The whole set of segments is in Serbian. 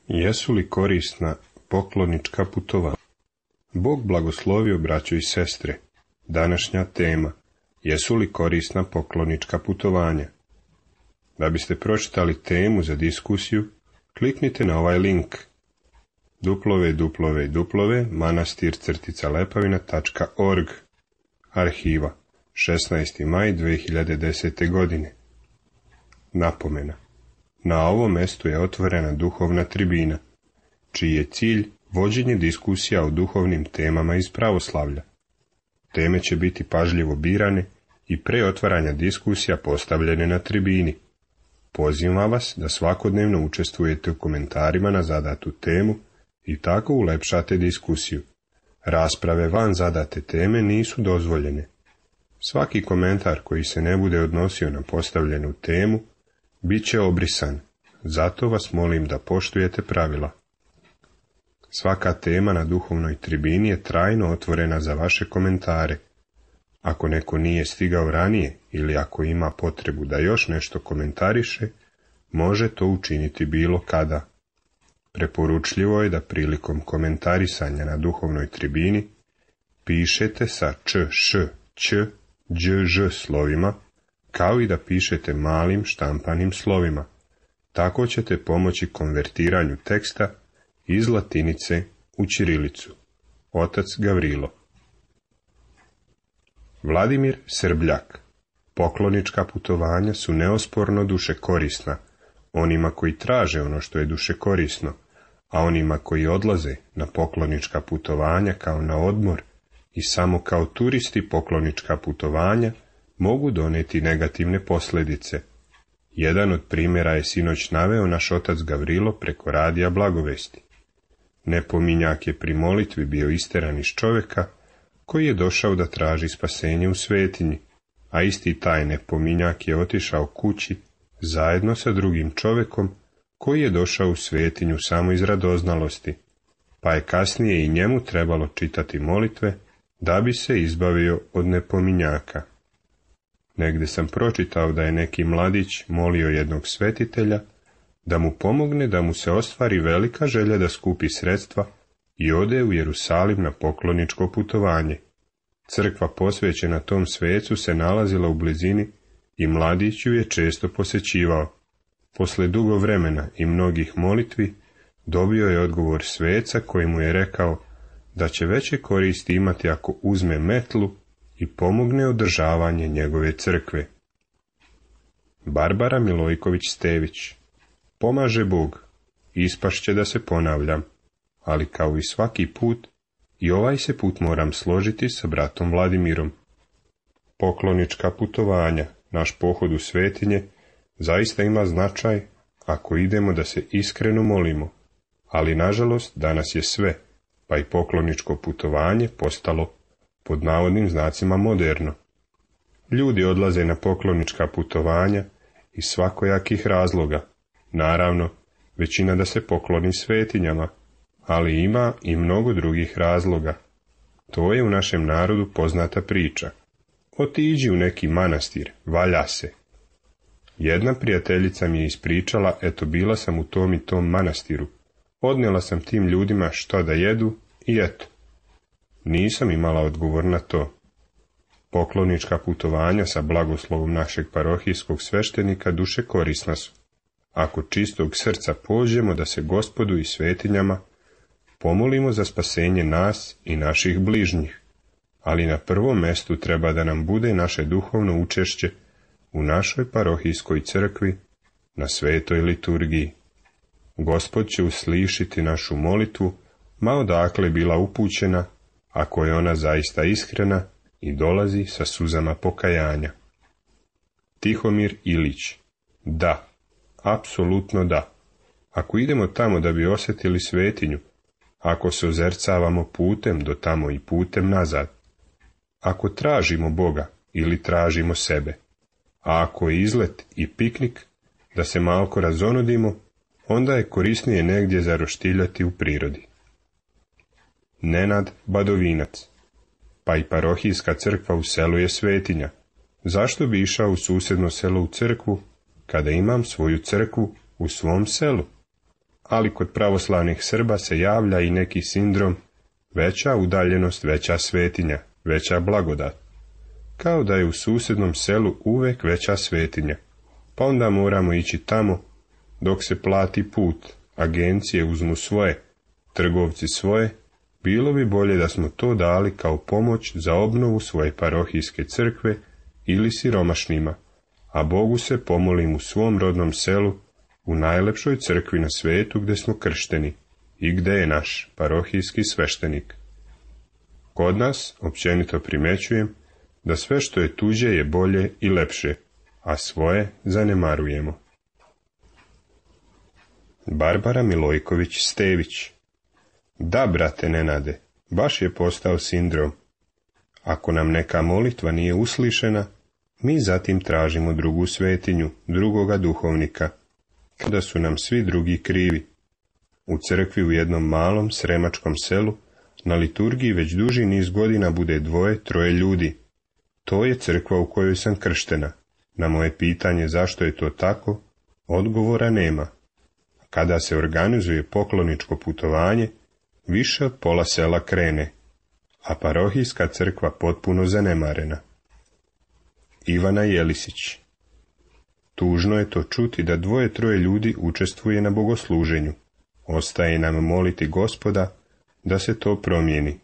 Jesu li korisna poklonička putovanja? Bog blagoslovio, braćo i sestre. Današnja tema: jesu li korisna poklonička putovanja? Da biste pročitali temu za diskusiju, kliknite na ovaj link www.manastir-lepavina.org. Arhiva 16. maj 2010. godine. Napomena: na ovom mestu je otvorena duhovna tribina, čiji je cilj vođenje diskusija o duhovnim temama iz pravoslavlja. Teme će biti pažljivo birane i pre otvaranja diskusija postavljene na tribini. Pozivam vas da svakodnevno učestvujete u komentarima na zadatu temu i tako ulepšate diskusiju. Rasprave van zadate teme nisu dozvoljene. Svaki komentar koji se ne bude odnosio na postavljenu temu bit će obrisan, zato vas molim da poštujete pravila. Svaka tema na duhovnoj tribini je trajno otvorena za vaše komentare. Ako neko nije stigao ranije ili ako ima potrebu da još nešto komentariše, može to učiniti bilo kada. Preporučljivo je da prilikom komentarisanja na duhovnoj tribini pišete sa č, š, ć, đ, ž slovima, kao i da pišete malim štampanim slovima. Tako ćete pomoći konvertiranju teksta iz latinice u ćirilicu. Otac Gavrilo. Vladimir Srbljak. Poklonička putovanja su neosporno dušekorisna onima koji traže ono što je dušekorisno, a onima koji odlaze na poklonička putovanja kao na odmor i samo kao turisti poklonička putovanja mogu doneti negativne posljedice. Jedan od primjera je sinoć naveo naš otac Gavrilo preko radija Blagovesti. Nepominjak je pri molitvi bio isteran iz čovjeka koji je došao da traži spasenje u svetinji, a isti taj nepominjak je otišao kući zajedno sa drugim čovjekom koji je došao u svetinju samo iz radoznalosti, pa je kasnije i njemu trebalo čitati molitve da bi se izbavio od nepominjaka. Negdje sam pročitao da je neki mladić molio jednog svetitelja da mu pomogne da mu se ostvari velika želja da skupi sredstva i ode u Jerusalim na pokloničko putovanje. Crkva posvećena tom svecu se nalazila u blizini i mladić ju je često posjećivao. Posle dugo vremena i mnogih molitvi dobio je odgovor sveca koji mu je rekao da će veće koristi imati ako uzme metlu i pomogne održavanje njegove crkve. Barbara Milojković-Stević. Pomaže Bog, ispašće da se ponavljam, ali kao i svaki put, i ovaj se put moram složiti sa bratom Vladimirom. Poklonička putovanja, naš pohod u svetinje, zaista ima značaj ako idemo da se iskreno molimo, ali nažalost danas je sve, pa i pokloničko putovanje postalo pod navodnim znacima moderno. Ljudi odlaze na poklonička putovanja iz svakojakih razloga, naravno, većina da se pokloni svetinjama, ali ima i mnogo drugih razloga. To je u našem narodu poznata priča. Otiđi u neki manastir, valja se. Jedna prijateljica mi je ispričala, eto bila sam u tom i tom manastiru. Odnijela sam tim ljudima šta da jedu i eto. Nisam imala odgovor na to. Poklonička putovanja sa blagoslovom našeg parohijskog sveštenika dušekorisna su. Ako čistog srca pođemo da se Gospodu i svetinjama pomolimo za spasenje nas i naših bližnjih, ali na prvom mestu treba da nam bude naše duhovno učešće u našoj parohijskoj crkvi na svetoj liturgiji. Gospod će uslišiti našu molitvu, ma odakle bila upućena, ako je ona zaista iskrena i dolazi sa suzama pokajanja. Tihomir Ilić. Da, apsolutno da. Ako idemo tamo da bi osjetili svetinju, ako se ozercavamo putem do tamo i putem nazad, ako tražimo Boga ili tražimo sebe, a ako je izlet i piknik da se malko razonodimo, onda je korisnije negdje zaroštiljati u prirodi. Nenad Badovinac. Pa i parohijska crkva u selu je svetinja. Zašto bi išao u susjedno selo u crkvu, kada imam svoju crkvu u svom selu? ali kod pravoslavnih Srba se javlja i neki sindrom veća udaljenost, veća svetinja, veća blagodat. Kao da je u susjednom selu uvek veća svetinja, pa onda moramo ići tamo dok se plati put, agencije uzmu svoje, trgovci svoje. Bilo bi bolje da smo to dali kao pomoć za obnovu svoje parohijske crkve ili siromašnima, a Bogu se pomolim u svom rodnom selu, u najlepšoj crkvi na svetu gdje smo kršteni i gdje je naš parohijski sveštenik. Kod nas općenito primjećujem da sve što je tuđe je bolje i lepše, a svoje zanemarujemo. Barbara Milojković-Stević. Da, brate Nenade, baš je postao sindrom. Ako nam neka molitva nije uslišena, mi zatim tražimo drugu svetinju, drugoga duhovnika, kada su nam svi drugi krivi. U crkvi u jednom malom sremačkom selu na liturgiji već duži niz godina bude 2-3 ljudi. To je crkva u kojoj sam krštena. Na moje pitanje zašto je to tako, odgovora nema. Kada se organizuje pokloničko putovanje, više od pola sela krene, a parohijska crkva potpuno zanemarena. Ivana Jelisić. Tužno je to čuti da 2-3 ljudi učestvuje na bogosluženju. Ostaje nam moliti Gospoda da se to promijeni.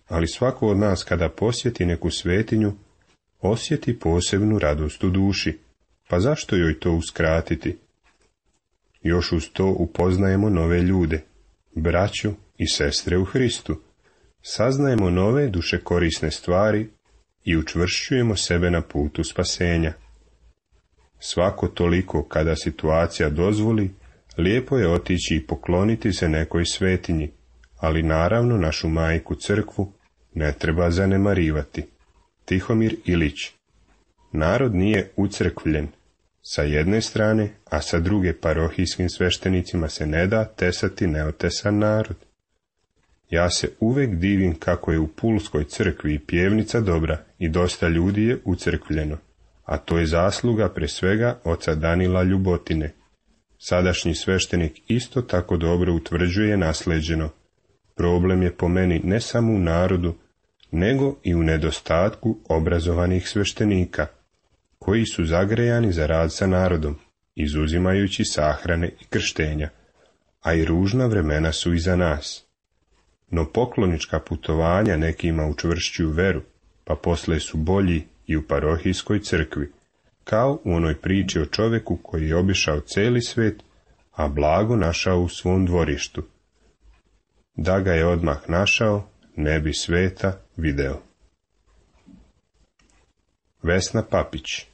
Ali svako od nas kada posjeti neku svetinju, osjeti posebnu radost u duši. Pa zašto joj to uskratiti? Još uz to upoznajemo nove ljude, braću i sestre u Hristu. Saznajemo nove dušekorisne stvari i učvršćujemo sebe na putu spasenja. Svako toliko, kada situacija dozvoli, lijepo je otići i pokloniti se nekoj svetinji, ali naravno našu majku crkvu ne treba zanemarivati. Tihomir Ilić. Narod nije ucrkvljen sa jedne strane, a sa druge parohijskim sveštenicima se ne da tesati neotesan narod. Ja se uvek divim kako je u Pulskoj crkvi i pjevnica dobra i dosta ljudi je ucrkvljeno, a to je zasluga pre svega oca Danila Ljubotine. Sadašnji sveštenik isto tako dobro utvrđuje nasleđeno. Problem je po meni ne samo u narodu, nego i u nedostatku obrazovanih sveštenika, koji su zagrejani za rad sa narodom, izuzimajući sahrane i krštenja, a i ružna vremena su iza nas. No poklonička putovanja nekima učvršćuju veru, pa posle su bolji i u parohijskoj crkvi, kao u onoj priči o čoveku koji je obišao celi svet, a blago našao u svom dvorištu. Da ga je odmah našao, ne bi sveta video. Vesna Papić.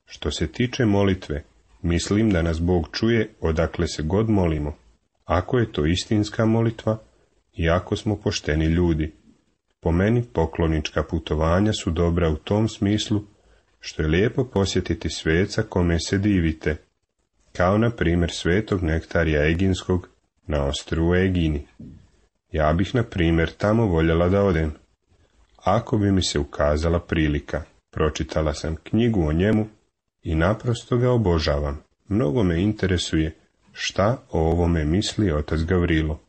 Što se tiče molitve, mislim da nas Bog čuje odakle se god molimo, ako je to istinska molitva i ako smo pošteni ljudi. Po meni poklonička putovanja su dobra u tom smislu što je lijepo posjetiti sveca kome se divite, kao na primjer svetog Nektarija Eginskog na ostrvu Egini. Ja bih na primjer tamo voljela da odem. Ako bi mi se ukazala prilika, pročitala sam knjigu o njemu i naprosto ga obožavam. Mnogo me interesuje šta o ovome misli otac Gavrilo.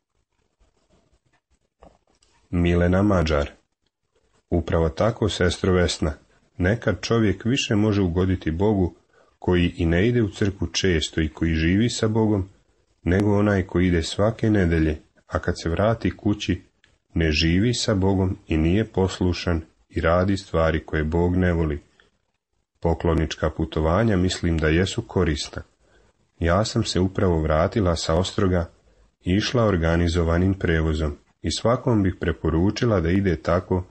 Milena Mađar. Upravo tako, sestro Vesna, nekad čovjek više može ugoditi Bogu koji i ne ide u crkvu često i koji živi sa Bogom, nego onaj koji ide svake nedelje, a kad se vrati kući, ne živi sa Bogom i nije poslušan i radi stvari koje Bog ne voli. Poklonička putovanja mislim da jesu korisna. Ja sam se upravo vratila sa Ostroga i išla organizovanim prevozom i svakom bih preporučila da ide tako,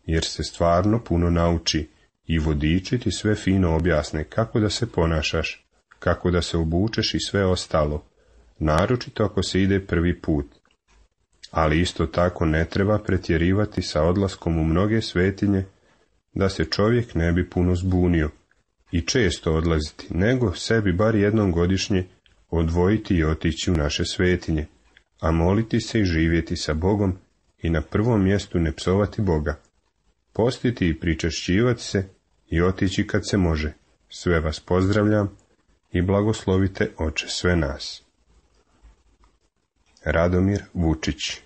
jer se stvarno puno nauči i vodiči ti sve fino objasne kako da se ponašaš, kako da se obučeš i sve ostalo, naročito ako se ide prvi put. Ali isto tako ne treba pretjerivati sa odlaskom u mnoge svetinje, da se čovjek ne bi puno zbunio i često odlaziti, nego sebi bar jednom godišnje odvojiti i otići u naše svetinje, a moliti se i živjeti sa Bogom i na prvom mjestu ne psovati Boga, postiti i pričešćivati se i otići kad se može. Sve vas pozdravljam i blagoslovite Oče sve nas. Radomir Vučić.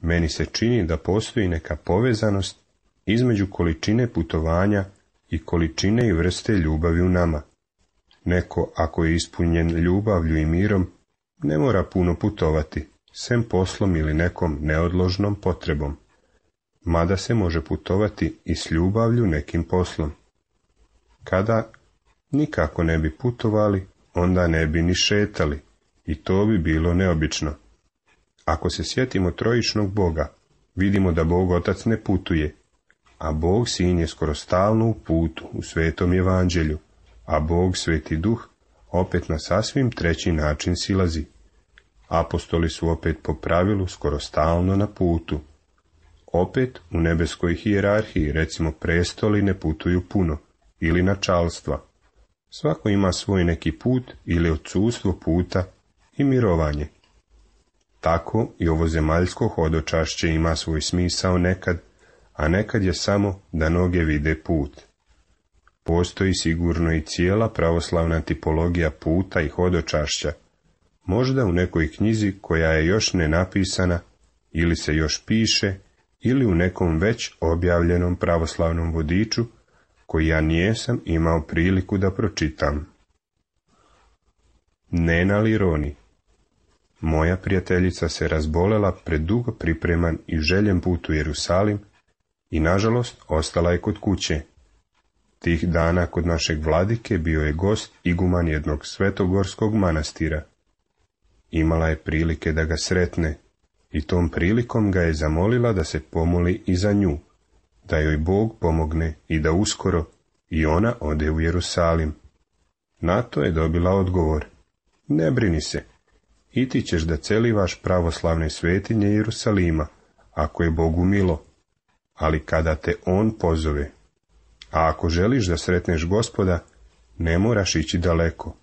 Meni se čini da postoji neka povezanost između količine putovanja i količine i vrste ljubavi u nama. Neko, ako je ispunjen ljubavlju i mirom, ne mora puno putovati, sem poslom ili nekom neodložnom potrebom. Mada se može putovati i s ljubavlju nekim poslom. Kada nikako ne bi putovali, onda ne bi ni šetali, i to bi bilo neobično. Ako se sjetimo trojičnog Boga, vidimo da Bog Otac ne putuje, a Bog Sin je skoro stalno u putu u Svetom Evanđelju, a Bog Sveti Duh opet na sasvim treći način silazi. Apostoli su opet po pravilu skoro stalno na putu. Opet u nebeskoj hijerarhiji, recimo, prestoli ne putuju puno, ili načalstva. Svako ima svoj neki put ili odsustvo puta i mirovanje. Tako i ovo zemaljsko hodočašće ima svoj smisao nekad, a nekad je samo da noge vide put. Postoji sigurno i cijela pravoslavna tipologija puta i hodočašća, možda u nekoj knjizi koja je još ne napisana, ili se još piše, ili u nekom već objavljenom pravoslavnom vodiču, koji ja nijesam imao priliku da pročitam. Nena Lironi. Moja prijateljica se razbolela predugo pripreman i željen put u Jerusalim i, nažalost, ostala je kod kuće. Tih dana kod našeg vladike bio je gost iguman jednog svetogorskog manastira. Imala je prilike da ga sretne i tom prilikom ga je zamolila da se pomoli i za nju, da joj Bog pomogne i da uskoro i ona ode u Jerusalim. Na to je dobila odgovor: ne brini se, i ti ćeš da celivaš pravoslavne svetinje Jerusalima, ako je Bogu milo, ali kada te On pozove. A ako želiš da sretneš Gospoda, ne moraš ići daleko.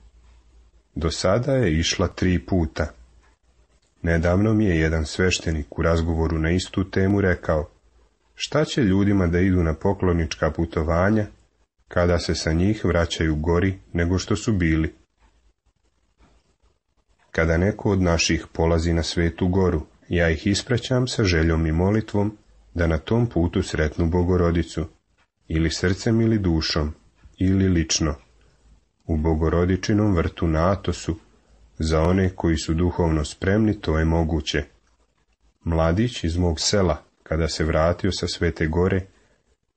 Do sada je išla 3 puta. Nedavno mi je jedan sveštenik u razgovoru na istu temu rekao: šta će ljudima da idu na poklonička putovanja, kada se sa njih vraćaju gori nego što su bili? Kada neko od naših polazi na Svetu Goru, ja ih ispraćam sa željom i molitvom da na tom putu sretnu Bogorodicu, ili srcem ili dušom, ili lično. U Bogorodičinom vrtu na Atosu, za one koji su duhovno spremni, to je moguće. Mladić iz mog sela, kada se vratio sa Svete Gore,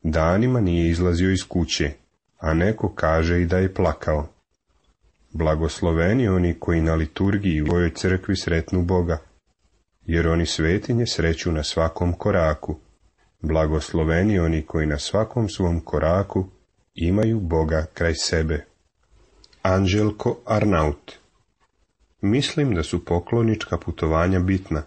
danima nije izlazio iz kuće, a neko kaže i da je plakao. Blagosloveni oni koji na liturgiji u svojoj crkvi sretnu Boga, jer oni svetinje sreću na svakom koraku. Blagosloveni oni koji na svakom svom koraku imaju Boga kraj sebe. Anđelko Arnaut. Mislim da su poklonička putovanja bitna,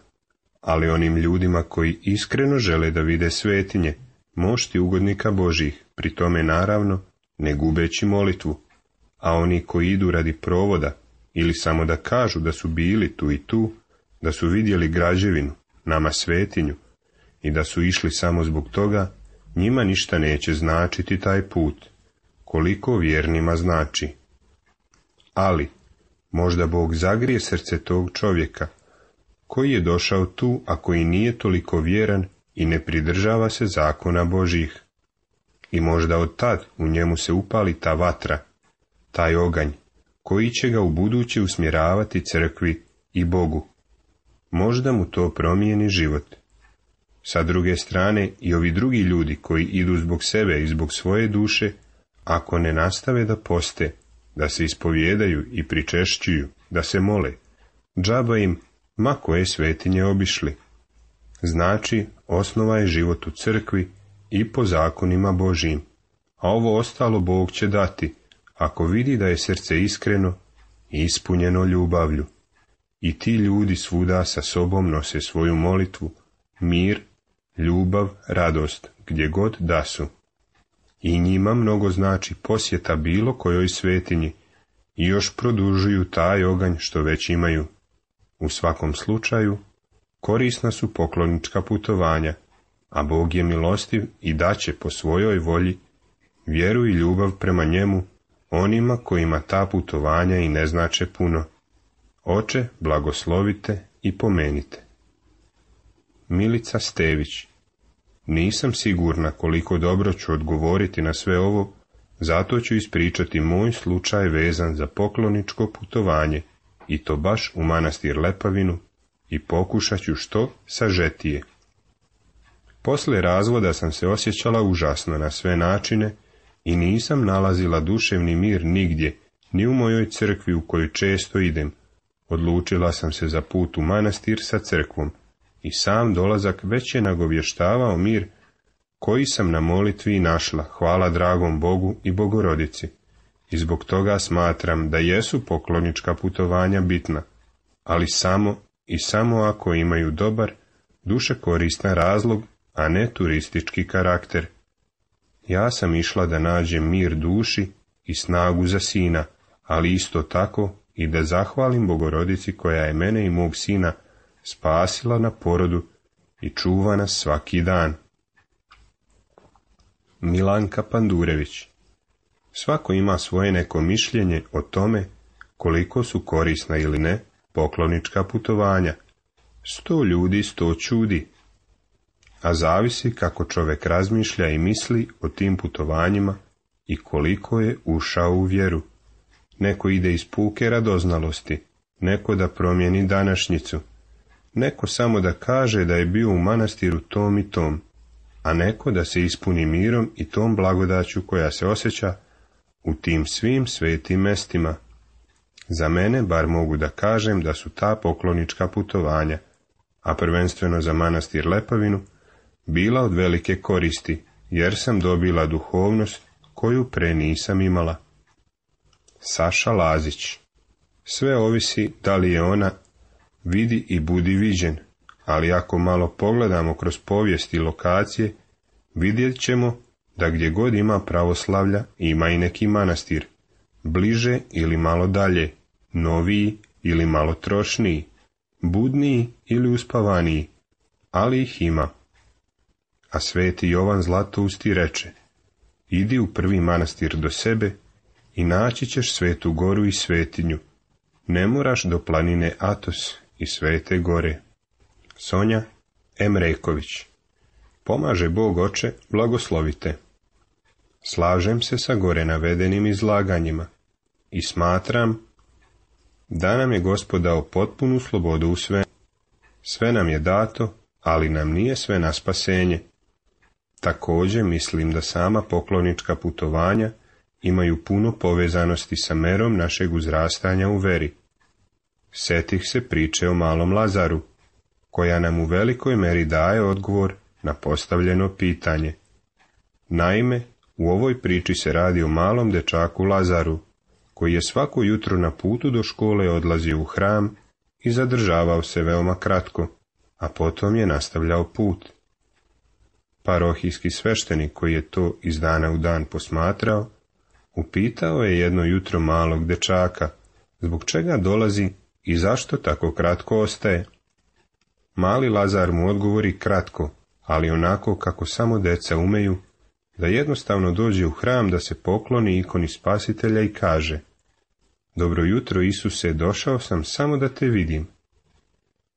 ali onim ljudima koji iskreno žele da vide svetinje, mošti ugodnika Božjih, pri tome naravno ne gubeći molitvu, a oni koji idu radi provoda ili samo da kažu da su bili tu i tu, da su vidjeli građevinu, nama svetinju, i da su išli samo zbog toga, njima ništa neće značiti taj put, koliko vjernima znači. Ali, možda Bog zagrije srce tog čovjeka, koji je došao tu, a koji nije toliko vjeran i ne pridržava se zakona Božjih. I možda od tad u njemu se upali ta vatra, taj oganj, koji će ga u buduće usmjeravati crkvi i Bogu. Možda mu to promijeni život. Sa druge strane, i ovi drugi ljudi koji idu zbog sebe i zbog svoje duše, ako ne nastave da poste, da se ispovijedaju i pričešćuju, da se mole, džaba im ma koje svetinje obišli. Znači, osnova je život u crkvi i po zakonima Božjim, a ovo ostalo Bog će dati, ako vidi da je srce iskreno i ispunjeno ljubavlju. I ti ljudi svuda sa sobom nose svoju molitvu, mir, ljubav, radost, gdje god da su. I njima mnogo znači posjeta bilo kojoj svetinji i još produžuju taj oganj što već imaju. U svakom slučaju, korisna su poklonička putovanja, a Bog je milostiv i daće po svojoj volji vjeru i ljubav prema njemu onima kojima ta putovanja i ne znače puno. Oče, blagoslovite i pomenite. Milica Stević. Nisam sigurna koliko dobro ću odgovoriti na sve ovo, zato ću ispričati moj slučaj vezan za pokloničko putovanje, i to baš u manastir Lepavinu, i pokušat ću što sažetije. Poslije razvoda sam se osjećala užasno na sve načine i nisam nalazila duševni mir nigdje, ni u mojoj crkvi u kojoj često idem. Odlučila sam se za put u manastir sa crkvom i sam dolazak već je nagovještavao mir koji sam na molitvi našla, hvala dragom Bogu i Bogorodici. I zbog toga smatram da jesu poklonička putovanja bitna, ali samo ako imaju dobar, duše koristan razlog, a ne turistički karakter. Ja sam išla da nađem mir duši i snagu za sina, ali isto tako i da zahvalim Bogorodici koja je mene i mog sina spasila na porodu i čuva nas svaki dan. Milanka Pandurević. Svako ima svoje neko mišljenje o tome koliko su korisna ili ne poklonička putovanja. 100 ljudi, 100 čudi. A zavisi kako čovjek razmišlja i misli o tim putovanjima i koliko je ušao u vjeru. Neko ide iz puke radoznalosti, neko da promijeni današnjicu, neko samo da kaže da je bio u manastiru tom i tom, a neko da se ispuni mirom i tom blagodaću koja se osjeća u tim svim svetim mestima. Za mene bar mogu da kažem da su ta poklonička putovanja, a prvenstveno za manastir Lepavinu, bila od velike koristi, jer sam dobila duhovnost koju pre nisam imala. Saša Lazić. Sve ovisi da li je ona vidi i budi viđen, ali ako malo pogledamo kroz povijest i lokacije, vidjet ćemo da gdje god ima pravoslavlja ima i neki manastir, bliže ili malo dalje, noviji ili malo trošniji, budniji ili uspavaniji, ali ih ima. A sveti Jovan Zlatousti reče, idi u prvi manastir do sebe i naći ćeš Svetu Goru i svetinju, ne moraš do planine Atos i Svete Gore. Sonja Emreković. Pomaže Bog Oče, blagoslovite. Slažem se sa gore navedenim izlaganjima i smatram da nam je Gospod dao potpunu slobodu u sve. Sve nam je dato, ali nam nije sve na spasenje. Također mislim da sama poklonička putovanja imaju puno povezanosti sa merom našeg uzrastanja u veri. Setih se priče o malom Lazaru, koja nam u velikoj meri daje odgovor na postavljeno pitanje. Naime, u ovoj priči se radi o malom dečaku Lazaru, koji je svako jutro na putu do škole odlazio u hram i zadržavao se veoma kratko, a potom je nastavljao put. Parohijski sveštenik koji je to iz dana u dan posmatrao, upitao je jedno jutro malog dečaka, zbog čega dolazi i zašto tako kratko ostaje. Mali Lazar mu odgovori kratko, ali onako kako samo deca umeju, da jednostavno dođe u hram da se pokloni ikoni Spasitelja i kaže: Dobro jutro Isuse, došao sam samo da te vidim.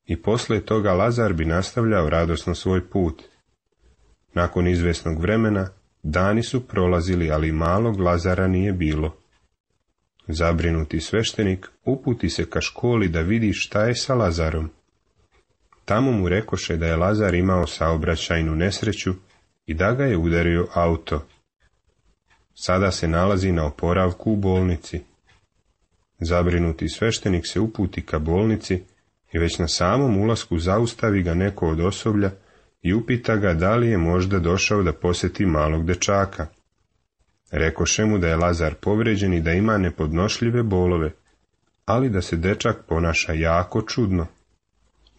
I poslije toga Lazar bi nastavljao radosno svoj put. Nakon izvesnog vremena, dani su prolazili, ali malog Lazara nije bilo. Zabrinuti sveštenik uputi se ka školi da vidi šta je sa Lazarom. Tamo mu rekoše da je Lazar imao saobraćajnu nesreću i da ga je udario auto. Sada se nalazi na oporavku u bolnici. Zabrinuti sveštenik se uputi ka bolnici i već na samom ulasku zaustavi ga neko od osoblja i upita ga da li je možda došao da posjeti malog dečaka. Rekoše mu da je Lazar povređen i da ima nepodnošljive bolove, ali da se dečak ponaša jako čudno.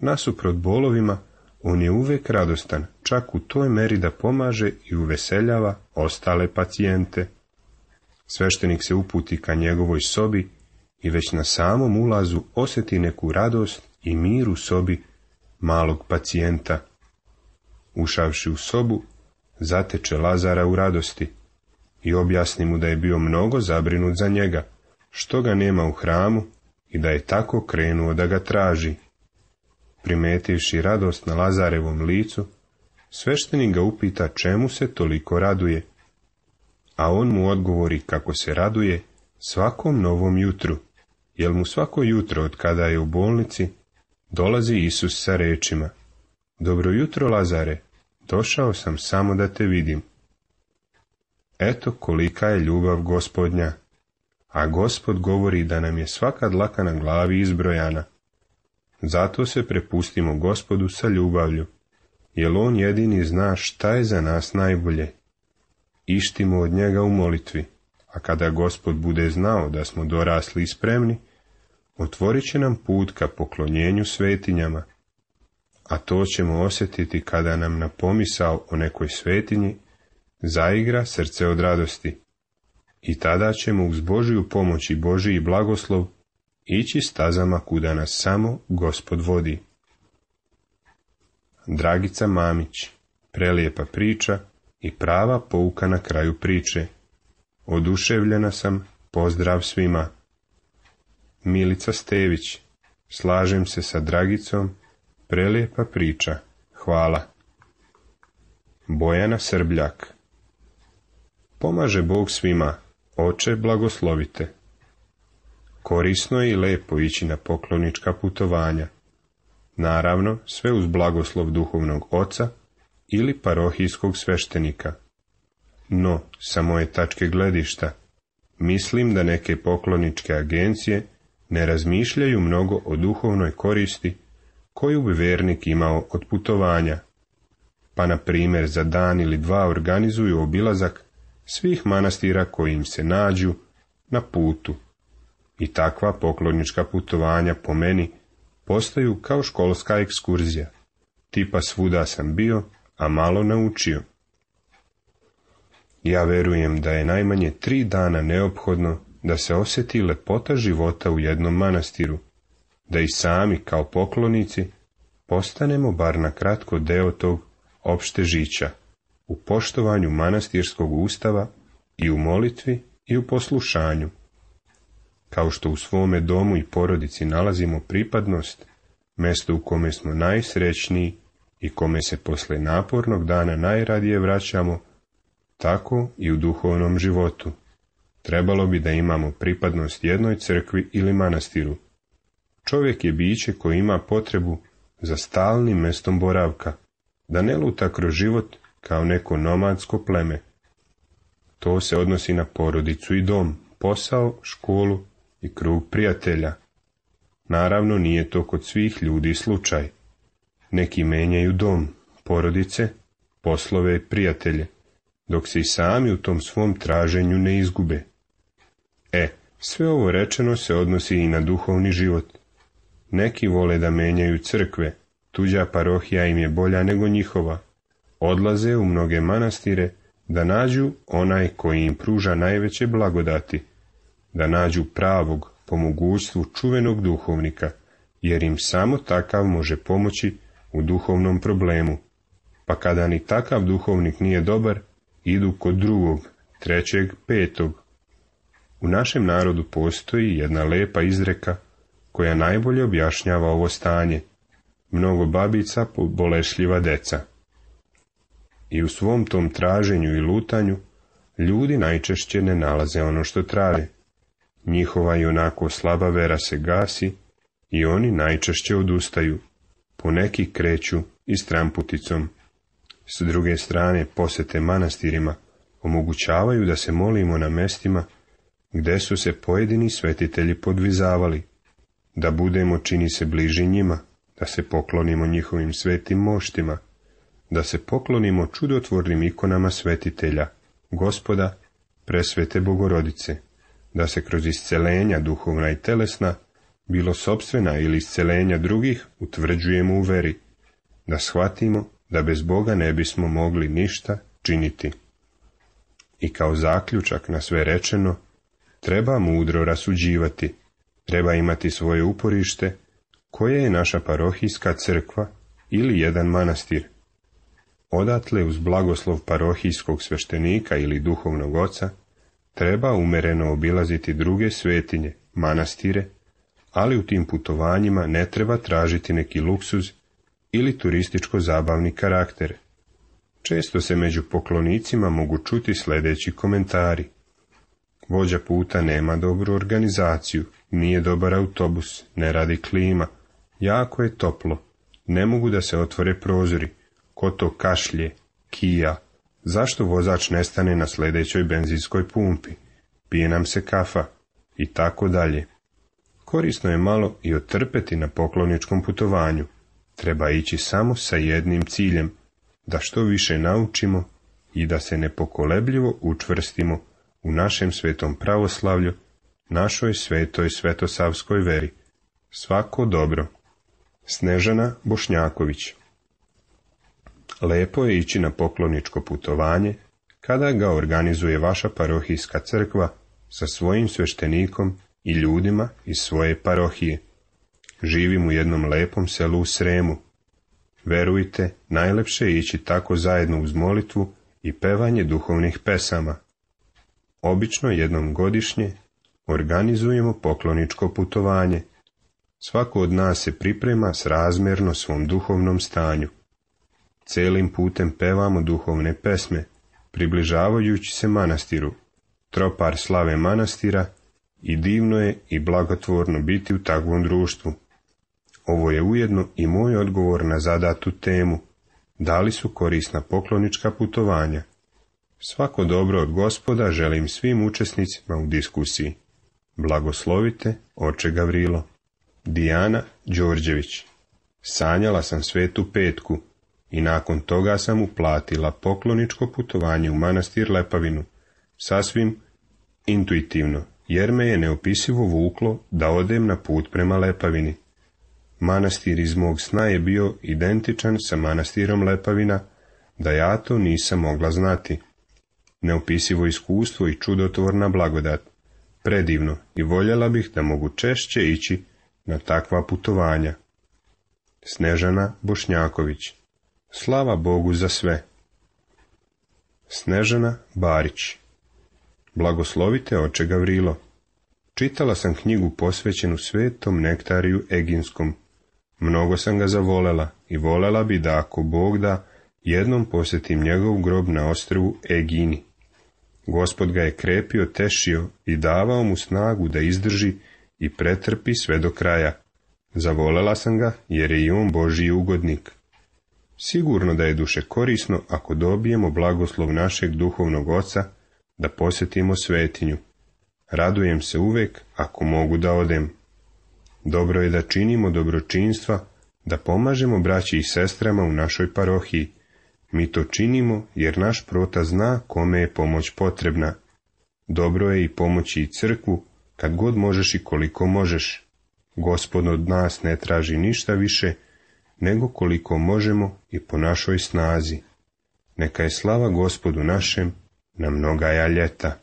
Nasuprot bolovima, on je uvek radostan, čak u toj meri da pomaže i uveseljava ostale pacijente. Sveštenik se uputi ka njegovoj sobi i već na samom ulazu osjeti neku radost i mir u sobi malog pacijenta. Ušavši u sobu, zateče Lazara u radosti i objasni mu da je bio mnogo zabrinut za njega, što ga nema u hramu i da je tako krenuo da ga traži. primetivši radost na Lazarevom licu, sveštenik ga upita čemu se toliko raduje, a on mu odgovori kako se raduje svakom novom jutru, jer mu svako jutro od kada je u bolnici dolazi Isus sa rečima: dobro jutro, Lazare, došao sam samo da te vidim. Eto kolika je ljubav Gospodnja, a Gospod govori da nam je svaka dlaka na glavi izbrojana. Zato se prepustimo Gospodu sa ljubavlju, jer on jedini zna šta je za nas najbolje. Ištimo od njega u molitvi, a kada Gospod bude znao da smo dorasli i spremni, otvorit će nam put ka poklonjenju svetinjama, a to ćemo osjetiti kada nam na pomisao o nekoj svetinji zaigra srce od radosti. I tada ćemo uz Božiju pomoć i Božiji blagoslov ići stazama kuda nas samo Gospod vodi. Dragica Mamić, prelijepa priča i prava pouka na kraju priče. Oduševljena sam, pozdrav svima. Milica Stević, slažem se sa Dragicom, prelijepa priča, hvala. Bojana Srbljak, pomaže Bog svima, Oče blagoslovite. Korisno je i lepo ići na poklonička putovanja. Naravno, sve uz blagoslov duhovnog oca ili parohijskog sveštenika. No, sa moje tačke gledišta, mislim da neke pokloničke agencije ne razmišljaju mnogo o duhovnoj koristi koju bi vernik imao od putovanja, pa na primjer za dan ili dva organizuju obilazak svih manastira koji im se nađu na putu. I takva poklonička putovanja po meni postaju kao školska ekskurzija, tipa svuda sam bio, a malo naučio. Ja verujem da je najmanje 3 dana neophodno da se osjeti lepota života u jednom manastiru, da i sami kao poklonici postanemo bar na kratko deo tog opšte žića, u poštovanju manastirskog ustava i u molitvi i u poslušanju. Kao što u svome domu i porodici nalazimo pripadnost, mesto u kome smo najsrećniji i kome se posle napornog dana najradije vraćamo, tako i u duhovnom životu. Trebalo bi da imamo pripadnost jednoj crkvi ili manastiru. Čovjek je biće koji ima potrebu za stalnim mestom boravka, da ne luta kroz život kao neko nomadsko pleme. To se odnosi na porodicu i dom, posao, školu i krug prijatelja. Naravno, nije to kod svih ljudi slučaj. Neki menjaju dom, porodice, poslove i prijatelje, dok se i sami u tom svom traženju ne izgube. Sve ovo rečeno se odnosi i na duhovni život. Neki vole da menjaju crkve, tuđa parohija im je bolja nego njihova. Odlaze u mnoge manastire da nađu onaj koji im pruža najveće blagodati, da nađu pravog, po mogućstvu čuvenog duhovnika, jer im samo takav može pomoći u duhovnom problemu. Pa kada ni takav duhovnik nije dobar, idu kod drugog, trećeg, petog. U našem narodu postoji jedna lepa izreka koja najbolje objašnjava ovo stanje: mnogo babica, bolešljiva deca. I u svom tom traženju i lutanju ljudi najčešće ne nalaze ono što traže. Njihova i onako slaba vera se gasi i oni najčešće odustaju, poneki kreću i stramputicom. S druge strane, posete manastirima omogućavaju da se molimo na mestima gde su se pojedini svetitelji podvizavali, da budemo, čini se, bliži njima, da se poklonimo njihovim svetim moštima, da se poklonimo čudotvornim ikonama svetitelja, Gospoda, presvete Bogorodice, da se kroz iscelenja duhovna i telesna, bilo sopstvena ili iscelenja drugih, utvrđujemo u veri, da shvatimo da bez Boga ne bismo mogli ništa činiti. I kao zaključak na sve rečeno, treba mudro rasuđivati, treba imati svoje uporište, koje je naša parohijska crkva ili jedan manastir. Odatle uz blagoslov parohijskog sveštenika ili duhovnog oca treba umereno obilaziti druge svetinje, manastire, ali u tim putovanjima ne treba tražiti neki luksuz ili turističko-zabavni karakter. Često se među poklonicima mogu čuti sljedeći komentari. Vođa puta nema dobru organizaciju, nije dobar autobus, ne radi klima, jako je toplo, ne mogu da se otvore prozori, ko to kašlje, kija, zašto vozač ne stane na sljedećoj benzinskoj pumpi, pije nam se kafa i tako dalje. Korisno je malo i otrpeti na pokloničkom putovanju. Treba ići samo sa jednim ciljem, da što više naučimo i da se nepokolebljivo učvrstimo u našem svetom pravoslavlju, našoj svetoj svetosavskoj veri. Svako dobro. Snežana Bošnjaković. Lepo je ići na pokloničko putovanje kada ga organizuje vaša parohijska crkva sa svojim sveštenikom i ljudima iz svoje parohije. Živim u jednom lepom selu u Sremu. Verujte, najlepše je ići tako zajedno uz molitvu i pevanje duhovnih pesama. Obično jednom godišnje organizujemo pokloničko putovanje. Svako od nas se priprema srazmjerno svom duhovnom stanju. Celim putem pevamo duhovne pesme, približavajući se manastiru, tropar slave manastira, i divno je i blagotvorno biti u takvom društvu. Ovo je ujedno i moj odgovor na zadatu temu, da li su korisna poklonička putovanja. Svako dobro od Gospoda želim svim učesnicima u diskusiji. Blagoslovite, oče Gavrilo. Dijana Đorđević. Sanjala sam Svetu Petku i nakon toga sam uplatila pokloničko putovanje u manastir Lepavinu, sasvim intuitivno, jer me je neopisivo vuklo da odem na put prema Lepavini. Manastir iz mog sna je bio identičan sa manastirom Lepavina, da ja to nisam mogla znati. Neopisivo iskustvo i čudotvorna blagodat, predivno, i voljela bih da mogu češće ići na takva putovanja. Snežana Bošnjaković. Slava Bogu za sve. Snežana Barić. Blagoslovite, oče Gavrilo. Čitala sam knjigu posvećenu svetom Nektariju Eginskom. Mnogo sam ga zavolela i volela bi da, ako Bog da, jednom posjetim njegov grob na ostrvu Egini. Gospod ga je krepio, tešio i davao mu snagu da izdrži i pretrpi sve do kraja. Zavolela sam ga jer je i on Božji ugodnik. Sigurno da je duše korisno ako dobijemo blagoslov našeg duhovnog oca da posjetimo svetinju. Radujem se uvek ako mogu da odem. Dobro je da činimo dobročinstva, da pomažemo braći i sestrama u našoj parohiji. Mi to činimo jer naš prota zna kome je pomoć potrebna. Dobro je i pomoći i crkvu kad god možeš i koliko možeš. Gospod od nas ne traži ništa više nego koliko možemo i po našoj snazi. Neka je slava Gospodu našem na mnogaja ljeta.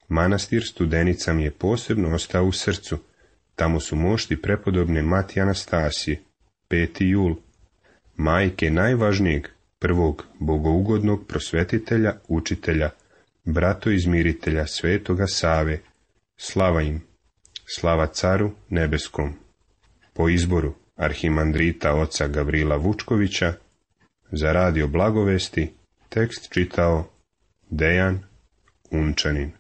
Manastir Studenica mi je posebno ostao u srcu. Tamo su mošti prepodobne Matije Anastasije, 5. jul, majke najvažnijeg, prvog bogougodnog prosvetitelja, učitelja, brato izmiritelja svetoga Save. Slava im, slava caru nebeskom. Po izboru arhimandrita oca Gavrila Vučkovića, za radio Blagovesti, tekst čitao Dejan Unčanin.